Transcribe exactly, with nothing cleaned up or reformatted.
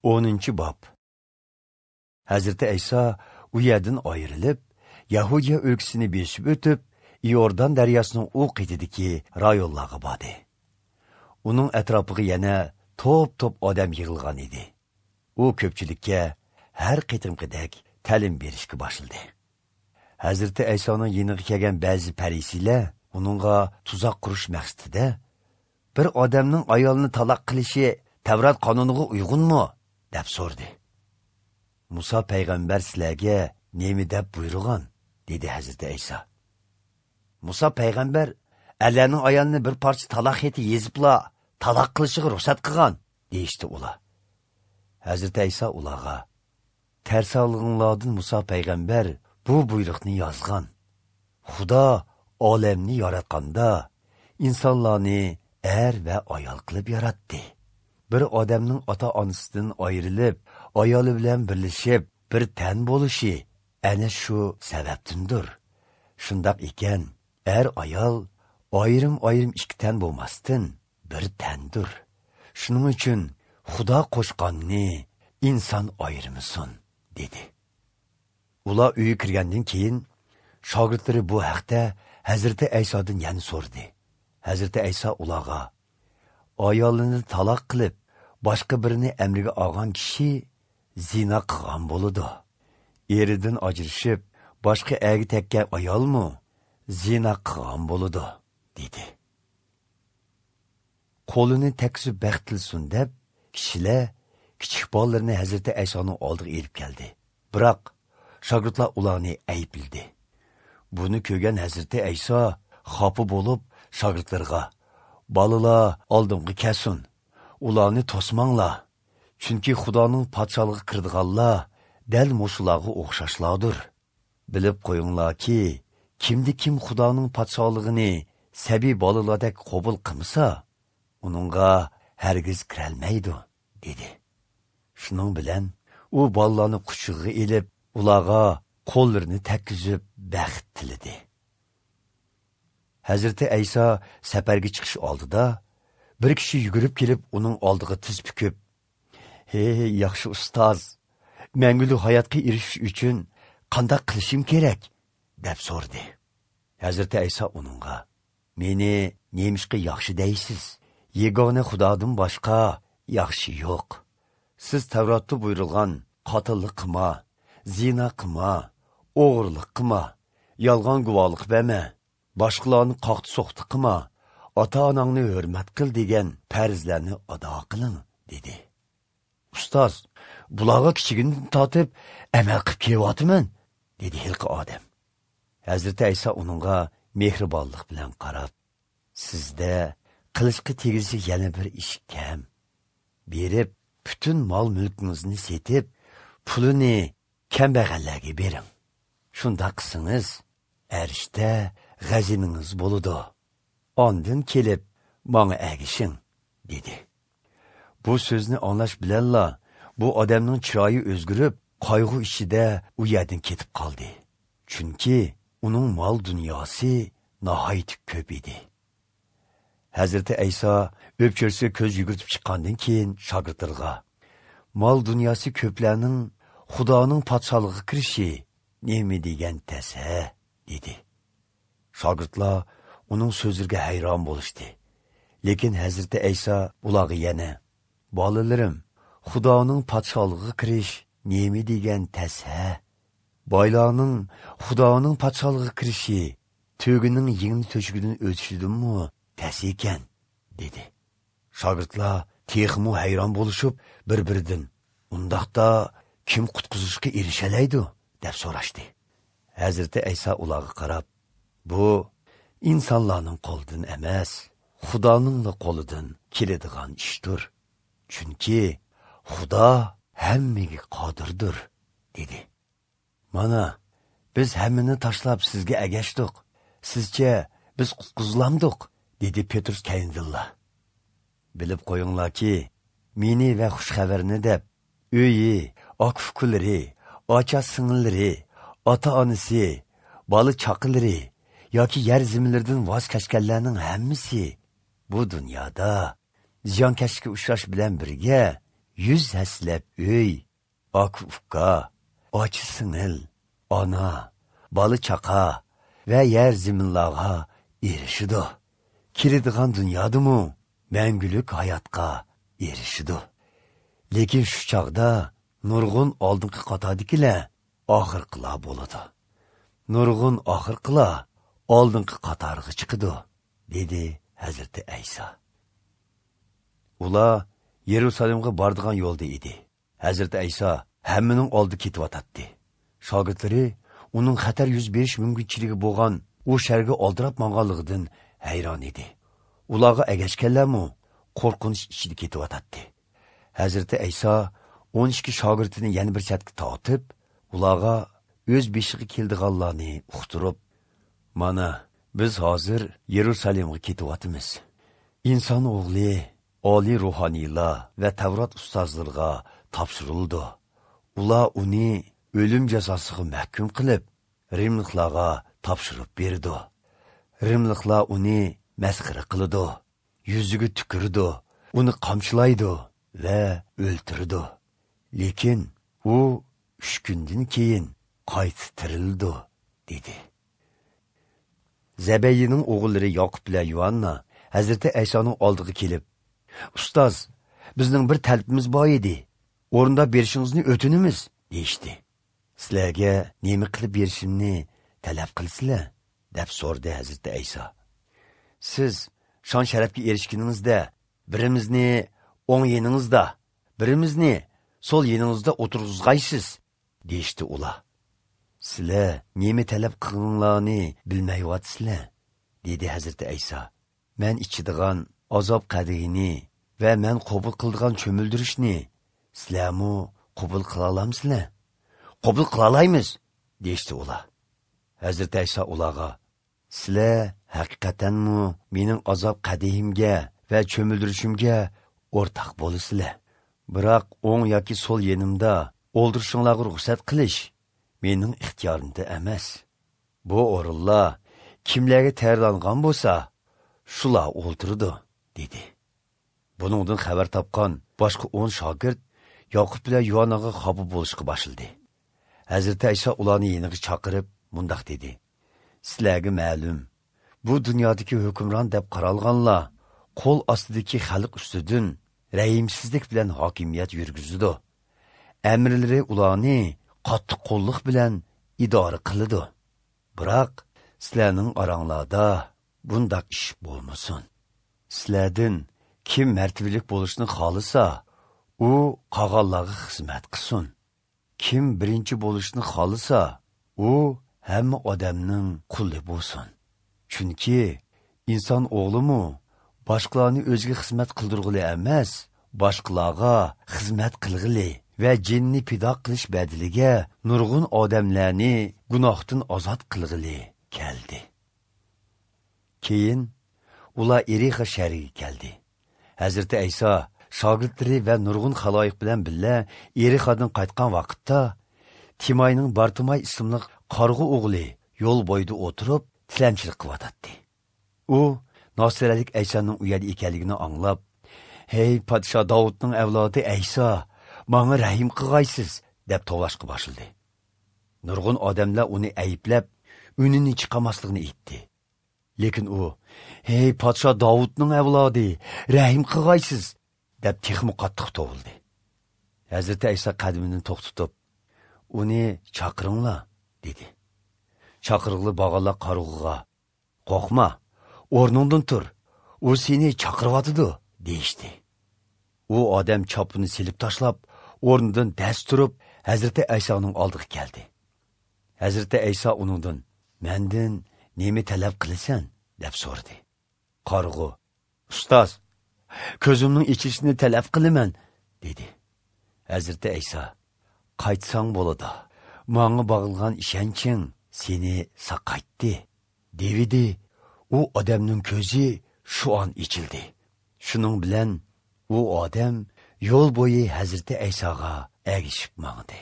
O'ninchi bob. Hazrati Ayso u yerdan ayrilib, Yahudiya o'lkasini besib o'tib, Iordan daryosining u qetidagi rayonlarga bordi. Uning atrofiga yana to'p-to'p odam yig'ilgan edi. U ko'pchilikka har qitimqidek ta'lim berishga boshladi. Hazrati Aysoning yeniga kelgan ba'zi parisiylar uningga tuzoq qurish maqsadida bir odamning ayolini taloq qilishi Tavrat qonuniga uyg'unmi deb so'rdi. Musa payg'ambar sizlarga nima deb buyurgan, dedi Hazrati Ayso. Musa payg'ambar erlarning ayolini bir parcha taloq xati yezibla taloq qilishiga ruxsat qilgan, deyishdi ular. Hazrati Ayso ularga: "Tersalığınlardan Musa payg'ambar bu buyruqni yozgan. Xudo olamni yaratganda insonlarni er va ayol qilib yaratdi. Bir odamning ota-onasidan ayrilib, ayoli bilan birlashib, bir tan bo'lishi ana shu sababdandir. Shundoq ekan, er ayol ayrim-ayrim ikki tan bo'lmasdan bir tandir. Shuning uchun Xudo qo'shqanni inson ayirmasin", dedi. Ular uyga kirgandan keyin shogirdlari bu haqda Hazrati Aysodan yana so'radi. Hazrati Ayso ularga: "Ayolini taloq qilib, boshqa birini amriga olgan kishi zina qilgan bo'ladi. Eridan ajrashib, boshqa erga tekkan ayolmi zina qilgan bo'ladi", dedi. Qo'lini tekkizib baxt tilsin deb kishilar kichik bolalarini Hazrati Aysoning oldiga elib keldi. Biroq shogirdlar ularni aybladi. Buni ko'rgan Hazrati Ayso xafa bo'lib shogirdlarga: "Bolalar oldimga kelsin, ularni to'smanglar, chunki Xudoning podsholig'iga kirdiganlar dal mushularga o'xshashlardir. Bilib qo'yinglarki, kimdi kim Xudoning podsholig'ini sabiy bolalardek qabul qilmasa, uningga hargiz kirolmaydi", dedi. Shuning bilan u bolalarni quchog'iga ilib, ularga qo'llarini tekkizib baxt tiladi. Hazrati Ayso safarga chiqish oldida bir kishi yugurib kelib uning oldiga tiz bukib: "Hey, yaxshi ustoz, mangulik hayotga erishish uchun qanday qilishim kerak?" deb so'radi. Hazrati Ayso uningga: "Meni nemishqa yaxshi deysiz? Yagona Xudodan boshqa yaxshi yo'q. Siz Tavrotda buyurilgan qotillik qilma, zina qilma, o'g'irlik qilma, yolg'on guvohlik berma, boshqalarni qoqdi-so'qdi qilma, ota-onangni hurmat qil degan farzlarni ado qiling", dedi. "Ustoz, bularga kichigimdan tortib amal qilib kelyapman", dedi hilqi odam. Hazrati Ayso uningga mehribonlik bilan qarab: "Sizda qilishga tegishli yana bir ish kam. Berib, butun mol-mulkingizni setib, pulini kambag'allarga bering. Shunda qilsangiz, arishda g'aziningiz bo'ladi. Ondan kelib menga ergishing", dedi. Bu so'zni anglash bilanla bu odamning chiroyi o'zgarib, qayg'u ichida u yerdan ketib qoldi. Chunki uning mol dunyosi nihoyat ko'p edi. Hazrati Ayso o'pchirsiga ko'z yugurtib chiqqandan keyin shogirdlarga: "Mol dunyosi ko'plarning Xudoning podsholig'iga kirishi nima degan tasa", dedi. Shogirdlar uning so'zlariga hayron bo'lishdi. Lekin Hazrati Ayso ularga yana: "Bolalarim, Xudoning podsholig'iga kirish nima degan tasa? Boylarning Xudoning podsholig'iga kirishi tugining yengni to'shigidan o'tishidanmi tas ekan", dedi. Shogirdlar texmu hayron bo'lishib, bir-biridan: "Undaqda kim qutqizishga erishalaydi?" deb so'rashdi. Hazrati Ayso ularga qarab: "Bu insonlarning qo'lidan emas, Xudoning qo'lidan keladigan ishdir. Chunki Xudo hammaga qodirdir", dedi. "Mana biz hammani tashlab sizga agashdik. Sizcha biz qutqizilamdiq?" dedi Petrus kayindilla. "Bilib qo'yinglarki, meni va xush xabarni deb uyi, aka-ukalari, ocha singillari, ota-onasi, bola chaqalari yoki yer zaminlaridan voz kechganlarning hammasi bu dunyoda ziyonkashlikka uchrash bilan birga yuz haslab uy, aka-uka, ochi-singil, ona, bola chaqa va yer zaminlarga erishidi. Keladigan dunyodimi mangulik hayotga erishidi. Lekin shu chog'da nurg'un oldingi qatordagilar oxirqilar bo'ladi. Nurg'un oxirqilar oldingi qatorga chiqadi, dedi Hazrati Ayso. Ular Yerusalimga bordigan yo'lda edi. Hazrati Ayso hammaning oldi ketyotdi. Shogirdlari uning xatar yuz berish mumkinchiligi bo'lgan u sharga oldirab manganligidan hayron edi. Ularga agashganlarmi qo'rqinch ichida ketyotdi. Hazrati Ayso o'n ikki shogirdini yana bir chetga tortib, ularga o'z beshiga keldiganlarni uqtirib, mana biz hozir Yerusalimga ketyapmiz. Inson o'g'li oliy ruhoniylar va Tavrat ustozlariga topshirildi. Ular uni o'lim jazosiga mahkum qilib, rimliklarga topshirib berdi. Rimliklar uni masxara qiladi, yuziga tukirdi, uni qamchilaydi va o'ltirdi. Lekin u uch kundan keyin qayta tirildi, dedi. Zabayning o'g'illari Yoqub bilan Yuanna Hazrati Aysoning oldiga kelib, "Ustoz, bizning bir talabimiz bor edi. O'rinda berishingizni o'tinamiz", deyishdi. "Sizlarga nima qilib berishimni talab qilsizlar?" deb so'radi Hazrati Ayso. "Siz shon sharafga erishganingizda birimizni o'ng yeningizda, birimizni so'l yeningizda o'tirg'izg'aysiz", deyishdi ular. "Sizlar nima talab qilganinglarni bilmayyotsizlar", dedi Hazrati Ayso. "Men ichadigan azob qadihini va men qabul qildigan cho'mildirishni sizlarmi qabul qila olamsizlar?" "Qabul qila olamiz", deyishdi ular. Hazrati Ayso ularga, "Sizlar haqiqatanmi mening azob qadihimga va cho'mildirishimga o'rtaq bo'lasizlar. Biroq o'ng yoki so'l yenimda o'ldirishinglarga ruxsat qilish mening ixtiyorimda emas. Bu o'rinlar kimlarga tayyorlangan bo'lsa, shular o'ltirdi", dedi. Buningdan xabar topgan boshqa o'n shogird Yoqub bilan Yuannaga xafa bo'lishga boshladi. Hazrati Ayso ularni yeniga chaqirib mundoq dedi: "Sizlarga ma'lum, bu dunyodagi hukmron deb qaralganlar qo'l ostidagi xalq ustidan rahimsizlik bilan hokimiyat yurgizadi. Amirlari ularni qattiq qo'lliq bilan idora qiladi. Biroq sizlarning oranglarda bundaq ish bo'lmasin. Sizlardan kim martabalik bo'lishni xohlasa, u qog'onlarga xizmat qilsin. Kim birinchi bo'lishni xohlasa, u hamma odamning quli bo'lsin. Chunki inson o'g'limi boshqalarni o'ziga xizmat qildirg'ili emas, boshqalarga xizmat qilg'ili va jinni pido qilish badiliga nurg'un odamlarni gunohdan ozod qilg'ili keldi." Keyin ular Erixa shahriga keldi. Hazrati Ayso shogirdlari va nurg'un xaloyiq bilan birga Erixadan qaytgan vaqtda Timayning Bartimay ismli qarg'u o'g'li yo'l bo'yida o'tirib tilamchilik qilyotdi. U Nasiralik Aysoning u yerda ekanligini anglab, "Hey podsho Davudning avlodi Ayso, menga rahim qilg'aysiz", deb tovlashga boshladi. Nurg'un odamlar uni ayblab, unini chiqamasligini aytdi. Lekin u, "Hey podsho Davudning avlodi, rahim qilg'aysiz", deb texmi qattiq to'vildi. Hazrati Ayso qadamini to'xtatib, "Uni chaqiringlar", dedi. Chaqirig'li bog'alar qarg'uga, "Qo'rqma, o'rningdan tur, u seni chaqiryotidi", deyishdi. U odam chopini silib tashlab, o'rnidan dast turib, Hazrati Aysoning oldiga keldi. Hazrati Ayso uningdan, "Mendan nima talab qilasan?" deb so'radi. Qarg'u, "Ustoz, ko'zimning ichishini talab qilaman", dedi. Hazrati Ayso, "Qaytsang bo'ladi, menga bog'ilgan ishonching seni saqaytdi", devidi. U odamning ko'zi shu on ichildi. Shuning bilan u odam yo'l bo'yi Hazrati Aysoga ergishib mangdi.